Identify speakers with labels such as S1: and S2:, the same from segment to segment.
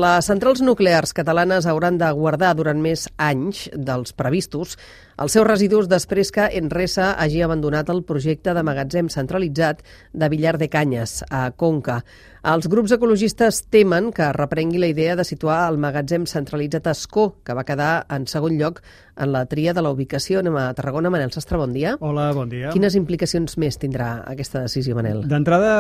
S1: Les centrals nuclears catalanes hauran de guardar durant més anys dels previstos els seus residus després que Enresa hagi abandonat el projecte de magatzem centralitzat de Villar de Cañas, a Conca. Els grups ecologistes temen que reprengui la idea de situar el magatzem centralitzat a Ascó, que va quedar en segon lloc en la tria de la ubicació. Anem a Tarragona. Manel Sastre, bon dia.
S2: Hola, bon dia.
S1: Quines implicacions més tindrà aquesta decisió, Manel?
S2: D'entrada,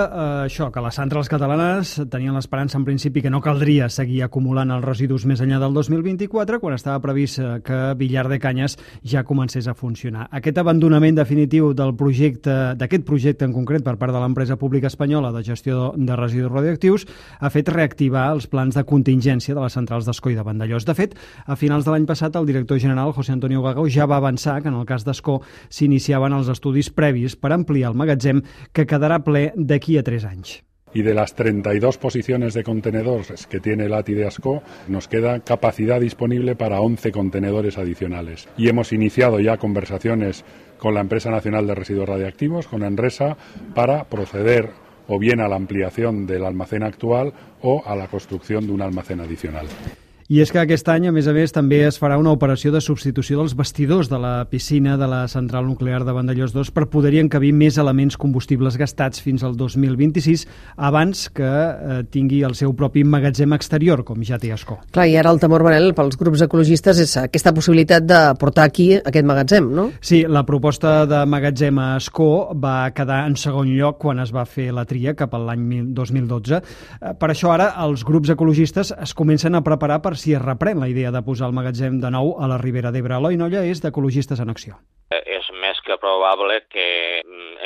S2: això, que les centrals catalanes tenien l'esperança en principi que no caldria seguir acumulant els residus més enllà del 2024, quan estava previst que Villar de Cañas ja comencés a funcionar. Aquest abandonament definitiu d'aquest projecte en concret per part de l'empresa pública espanyola de gestió de residus radioactius ha fet reactivar els plans de contingència de les centrals d'Ascó i de Vandellòs. De fet, a finals de l'any passat, el director general, José Antonio Gago, ja va avançar que en el cas d'Ascó s'iniciaven els estudis previs per ampliar el magatzem, que quedarà ple d'aquí a 3 anys.
S3: Y de las 32 posiciones de contenedores que tiene el ATI de Ascó, nos queda capacidad disponible para 11 contenedores adicionales. Y hemos iniciado ya conversaciones con la Empresa Nacional de Residuos Radiactivos, con Enresa, para proceder o bien a la ampliación del almacén actual o a la construcción de un almacén adicional.
S2: I és que aquest any, a més, també es farà una operació de substitució dels bastidors de la piscina de la central nuclear de Vandellòs 2 per poder-hi encabir més elements combustibles gastats fins al 2026, abans que tingui el seu propi magatzem exterior, com ja té Ascó.
S1: Clar, i ara el temor, Manel, pels grups ecologistes és aquesta possibilitat de portar aquí aquest magatzem, no?
S2: Sí, la proposta de magatzem a Ascó va quedar en segon lloc quan es va fer la tria cap a l'any 2012. Per això ara els grups ecologistes es comencen a preparar per si es reprèn la idea de posar el magatzem de nou a la Ribera d'Ebre. Eloi Nolla és d'Ecologistes en Acció.
S4: És més que probable que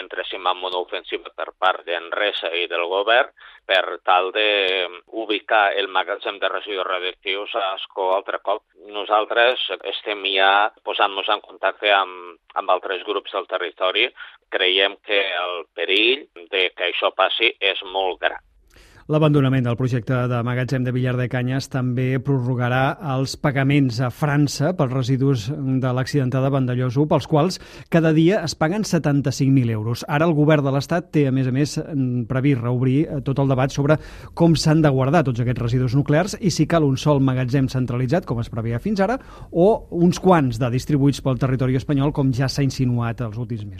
S4: entressin en una ofensiva per part d'Enresa i del govern per tal d'ubicar el magatzem de residus radioactius a Ascó altre cop. Nosaltres estem ja posant-nos en contacte amb altres grups del territori. Creiem que el perill de que això passi és molt gran.
S2: L'abandonament del projecte de magatzem de Villar de Cañas també prorrogarà els pagaments a França pels residus de l'accidentada Vandellòs 1, pels quals cada dia es paguen 75.000 euros. Ara el govern de l'Estat té, a més, previst reobrir tot el debat sobre com s'han de guardar tots aquests residus nuclears i si cal un sol magatzem centralitzat, com es preveia fins ara, o uns quants de distribuïts pel territori espanyol, com ja s'ha insinuat els últims mesos.